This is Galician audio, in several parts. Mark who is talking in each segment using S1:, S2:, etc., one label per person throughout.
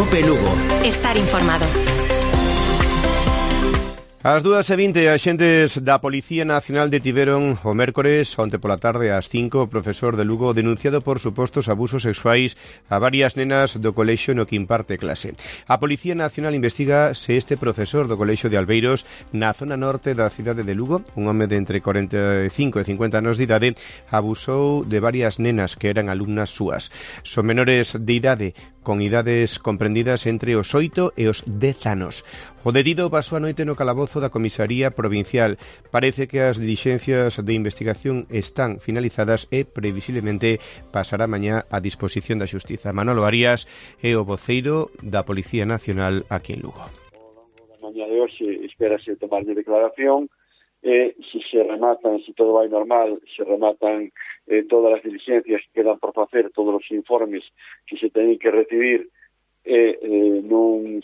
S1: Cope Lugo.
S2: Estar informado.
S3: Ás 2:20, axentes da Policía Nacional detiveron o mércores, onte pola tarde ás 5, o profesor de Lugo denunciado por supostos abusos sexuais a varias nenas do colexio no que imparte clase. A Policía Nacional investiga se este profesor do colexio de Albeiros, na zona norte da cidade de Lugo, un home de entre 45 e 50 anos de idade, abusou de varias nenas que eran alumnas súas. Son menores de idade, con idades comprendidas entre os 8 e os 10 anos. O detido pasou a noite no calabozo da Comisaría Provincial. Parece que as dilixencias de investigación están finalizadas e, previsiblemente, pasará mañá a disposición da Xustiza. Manolo Arias é o voceiro da Policía Nacional aquí en Lugo.
S4: Ao longo da mañá de hoxe espérase tomarlle declaración. Se rematan, se todo vai normal, se rematan todas as diligencias que quedan por facer, todos os informes que se teñen que recibir, non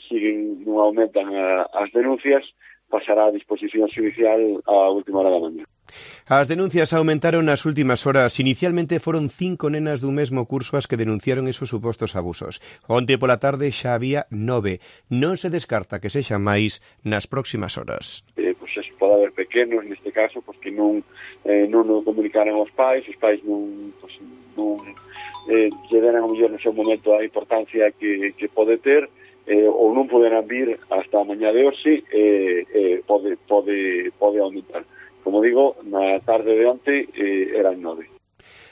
S4: aumentan as denuncias, pasará a disposición xudicial a última hora da mañá.
S3: As denuncias aumentaron nas últimas horas. Inicialmente foron 5 nenas dun mesmo curso as que denunciaron esos supostos abusos. Onte pola tarde xa había 9. Non se descarta que sexan máis nas próximas horas.
S4: Pois eso pode haber pequenos, neste caso, porque non o comunicaran aos pais, os pais non lle deran ao mellor no seu momento a importancia que pode ter, ou non poderán vir hasta a mañá de hoxe, pode aumentar. Como digo, na tarde de onte eran 9.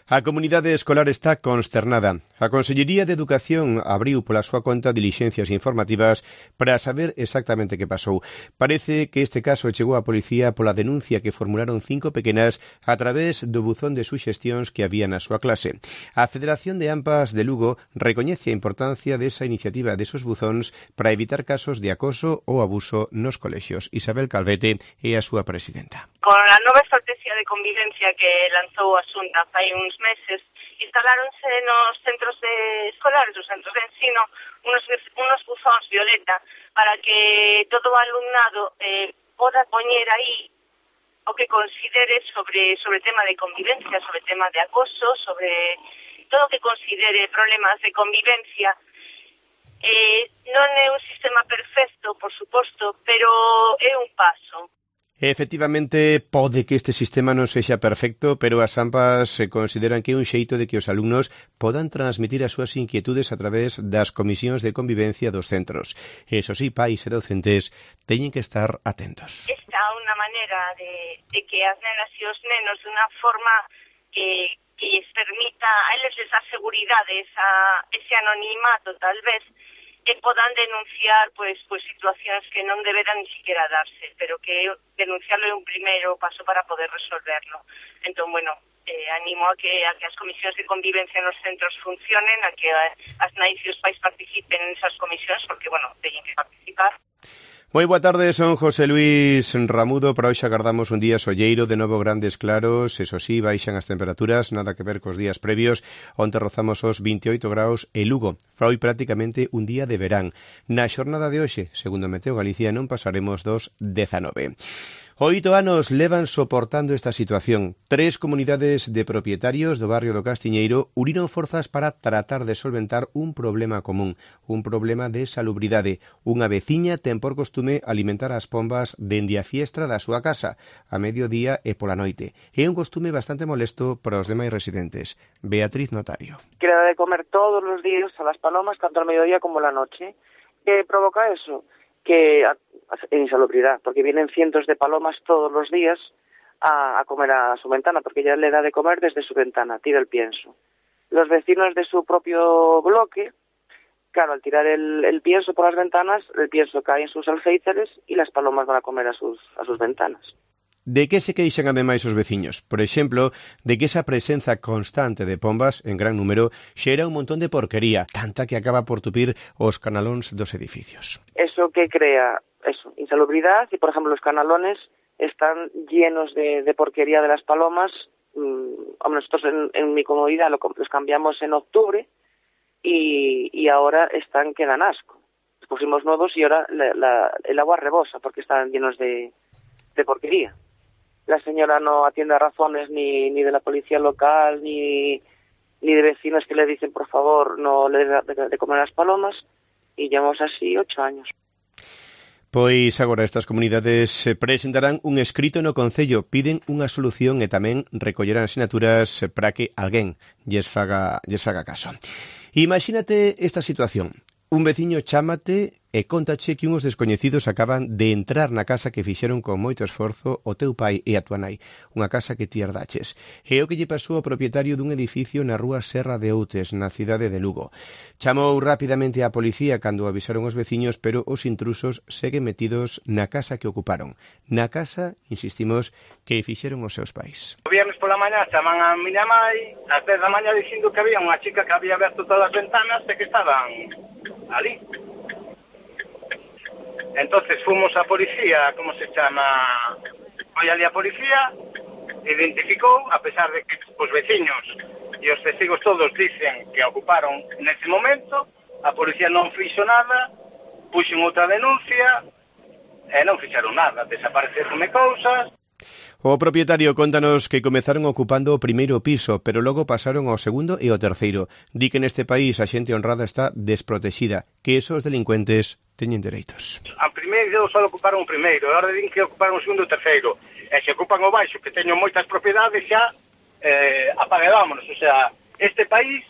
S3: A comunidade escolar está consternada. A Consellería de Educación abriu pola súa conta dilixencias informativas para saber exactamente que pasou. Parece que este caso chegou á policía pola denuncia que formularon 5 pequenas a través do buzón de suxestións que había na súa clase. A Federación de AMPAs de Lugo recoñece a importancia desa iniciativa desos buzóns para evitar casos de acoso ou abuso nos colexios. Isabel Calvete é a súa presidenta.
S5: Con a nova estrategia de convivencia que lanzou a Xunta fai uns meses, instaláronse nos centros escolares, os centros de ensino, unos buzóns violeta para que todo o alumnado poda poñer aí o que considere sobre tema de convivencia, sobre tema de acoso, sobre todo o que considere problemas de convivencia. Non é un sistema perfecto, por suposto, pero é un paso.
S3: Efectivamente, pode que este sistema non sexa perfecto, pero as AMPAs se consideran que é un xeito de que os alumnos podan transmitir as súas inquietudes a través das comisións de convivencia dos centros. Eso sí, pais e docentes teñen que estar atentos.
S5: Esta é unha maneira de que as nenas e os nenos, de unha forma que lles permita a eles esa seguridade, ese anonimato, tal vez, que podan denunciar pues situacións que non deberan ni siquiera darse, pero que denunciarlo é un primeiro paso para poder resolverlo. Entón, bueno, animo a que as comisións de convivencia nos centros funcionen, a que as nais e os pais participen en esas comisións, porque, bueno, teñen que participar.
S3: Moi boa tarde, son José Luis Ramudo. Para hoxe agardamos un día solleiro, de novo grandes claros, eso sí, baixan as temperaturas, nada que ver cos días previos, onte rozamos os 28 graus e Lugo. Foi prácticamente un día de verán. Na xornada de hoxe, segundo Meteo Galicia, non pasaremos dos 19. 8 anos levan soportando esta situación. 3 comunidades de propietarios do barrio do Castiñeiro uniron forzas para tratar de solventar un problema común, un problema de salubridade. Unha veciña ten por costume alimentar as pombas dende a fiestra da súa casa, a mediodía e pola noite. É un costume bastante molesto para os demais residentes. Beatriz Notario.
S6: Que le da de comer todos os días a las palomas, tanto al mediodía como a la noche. ¿Qué provoca eso? Que insalubridad, porque vienen cientos de palomas todos los días a comer a su ventana, porque ella le da de comer desde su ventana, tira el pienso. Los vecinos de su propio bloque, claro, al tirar el pienso por las ventanas, el pienso cae en sus alféizares y las palomas van a comer a sus ventanas.
S3: De que se queixan ademais os veciños? Por exemplo, de que esa presenza constante de pombas en gran número xera un montón de porquería, tanta que acaba por tupir os canalóns dos edificios.
S6: Eso que crea insalubridad, y por ejemplo los canalones están llenos de porquería de las palomas. Nosotros en mi comunidad los cambiamos en octubre y ahora quedan asco. Los pusimos nuevos y ahora el agua rebosa porque están llenos de porquería. La señora no atiende a razones ni de la policía local ni de vecinos que le dicen por favor no le dé de comer a las palomas, Y llevamos así 8 años.
S3: Pois agora estas comunidades presentarán un escrito no Concello, piden unha solución e tamén recollerán asinaturas para que alguén lles faga caso. Imagínate esta situación. Un veciño chámate e contache que unhos descoñecidos acaban de entrar na casa que fixeron con moito esforzo o teu pai e a tua nai, unha casa que ti herdaches. É o que lle pasou ao propietario dun edificio na rúa Serra de Outes, na cidade de Lugo. Chamou rapidamente á policía cando avisaron os veciños, pero os intrusos seguen metidos na casa que ocuparon. Na casa, insistimos, que fixeron os seus pais.
S1: O viernes pola mañá chaman a miña mai ás 10 da mañá dicindo que había unha chica que había aberto todas as ventanas e que estaban ali. Entonces fomos a policía, como se chama, foi ali a policía, identificou, a pesar de que os veciños e os testigos todos dicen que ocuparon nese momento, a policía non fixo nada, puxen outra denuncia e non fixeron nada, desapareceronme cousas.
S3: O propietario contanos que comezaron ocupando o primeiro piso, pero logo pasaron ao segundo e ao terceiro. Di que neste país a xente honrada está desprotexida, que esos delincuentes teñen dereitos.
S1: A primeiro só ocuparon o primeiro, agora din que ocuparon o segundo e o terceiro. E se ocupan o baixo, que teño moitas propiedades, xa apaguedámonos. O sea, este país,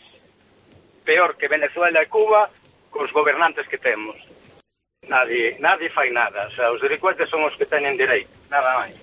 S1: peor que Venezuela e Cuba, cos gobernantes que temos. Nadie fai nada. O sea, os delincuentes son os que teñen dereito, nada máis.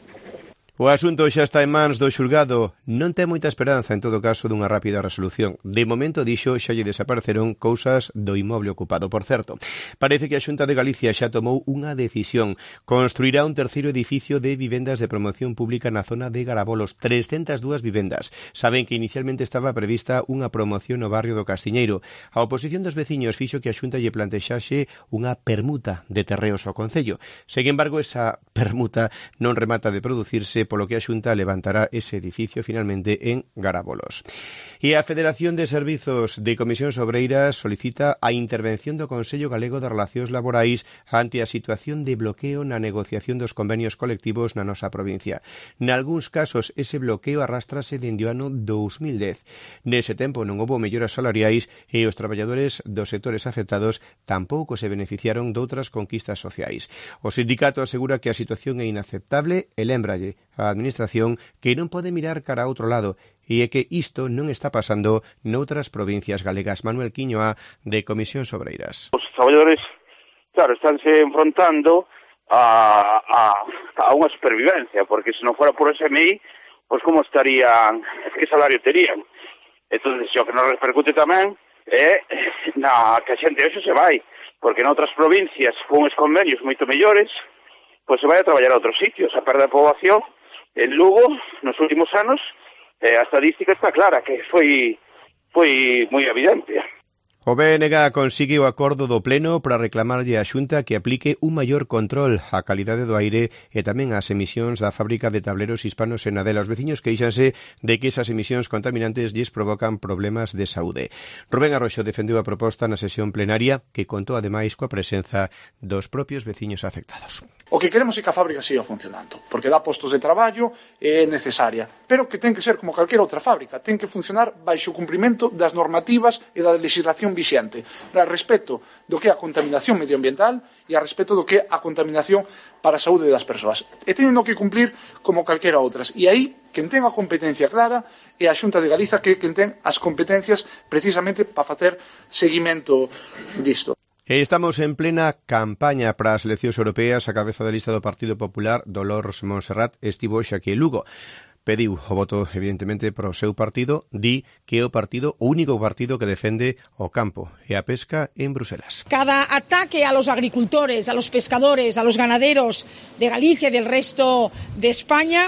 S3: O asunto xa está en mans do xulgado. Non ten moita esperanza, en todo caso, dunha rápida resolución. De momento, dixo, xa lle desapareceron cousas do inmoble ocupado. Por certo, parece que a Xunta de Galicia xa tomou unha decisión. Construirá un terceiro edificio de vivendas de promoción pública na zona de Garabolos. 302 vivendas. Saben que inicialmente estaba prevista unha promoción no barrio do Castiñeiro. A oposición dos veciños fixo que a Xunta lle plantexase unha permuta de terreos ao Concello. Sen embargo, esa permuta non remata de producirse, polo que a Xunta levantará ese edificio finalmente en Garabolos. E a Federación de Servizos de Comisións Obreiras solicita a intervención do Consello Galego de Relacións Laborais ante a situación de bloqueo na negociación dos convenios colectivos na nosa provincia. Nalgúns casos, ese bloqueo arrastrase dende o ano 2010. Nese tempo non houbo melloras salariais e os traballadores dos sectores afectados tampouco se beneficiaron doutras conquistas sociais. O sindicato asegura que a situación é inaceptable e lembralle a Administración que non pode mirar cara a outro lado e é que isto non está pasando noutras provincias galegas. Manuel Quiñoa, de Comisións Obreiras.
S2: Os traballadores, claro, estánse enfrontando a unha supervivencia, porque se non fora por SMI, pois como estarían, que salario terían? Entón, o que nos repercute tamén é na que a xente hoxe se vai, porque noutras provincias con os convenios moito mellores, pois se vai a traballar a outros sitios. A perda de poboación en Lugo, nos últimos anos, a estadística está clara, que foi moi evidente.
S3: O BNG consigue o acordo do Pleno para reclamarlle á Xunta que aplique un maior control á calidade do aire e tamén ás emisións da fábrica de tableros hispanos en Adela. Os veciños queixanse de que esas emisións contaminantes lles provocan problemas de saúde. Rubén Arroxo defendeu a proposta na sesión plenaria que contou ademais coa presenza dos propios veciños afectados.
S7: O que queremos é que a fábrica siga funcionando, porque dá postos de traballo e é necesaria, pero que ten que ser como calquera outra fábrica, ten que funcionar baixo o cumprimento das normativas e da legislación vixente, a respecto do que é a contaminación medioambiental e a respecto do que é a contaminación para a saúde das persoas. E tendo que cumplir como calquera outras. E aí, quen ten a competencia clara é a Xunta de Galiza, que quen ten as competencias precisamente para facer seguimento disto.
S3: Estamos en plena campaña para as eleccións europeas. A cabeza da lista do Partido Popular, Dolores Montserrat, estivo hoxe aquí en Lugo. Pediu o voto, evidentemente, para o seu partido. Di que é o único partido que defende o campo e a pesca en Bruselas.
S8: Cada ataque a los agricultores, a los pescadores, a los ganaderos de Galicia y del resto de España,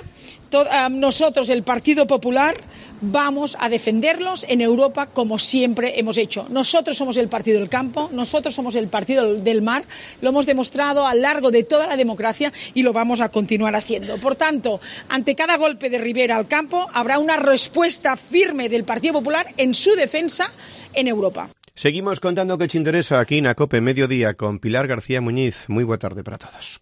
S8: nosotros, el Partido Popular, vamos a defenderlos en Europa como siempre hemos hecho. Nosotros somos el partido del campo, nosotros somos el partido del mar, lo hemos demostrado a lo largo de toda la democracia y lo vamos a continuar haciendo. Por tanto, ante cada golpe de Rivera al campo, habrá una respuesta firme del Partido Popular en su defensa en Europa.
S3: Seguimos contando que te interesa aquí na COPE Mediodía con Pilar García Muñiz. Moi boa tarde para todos.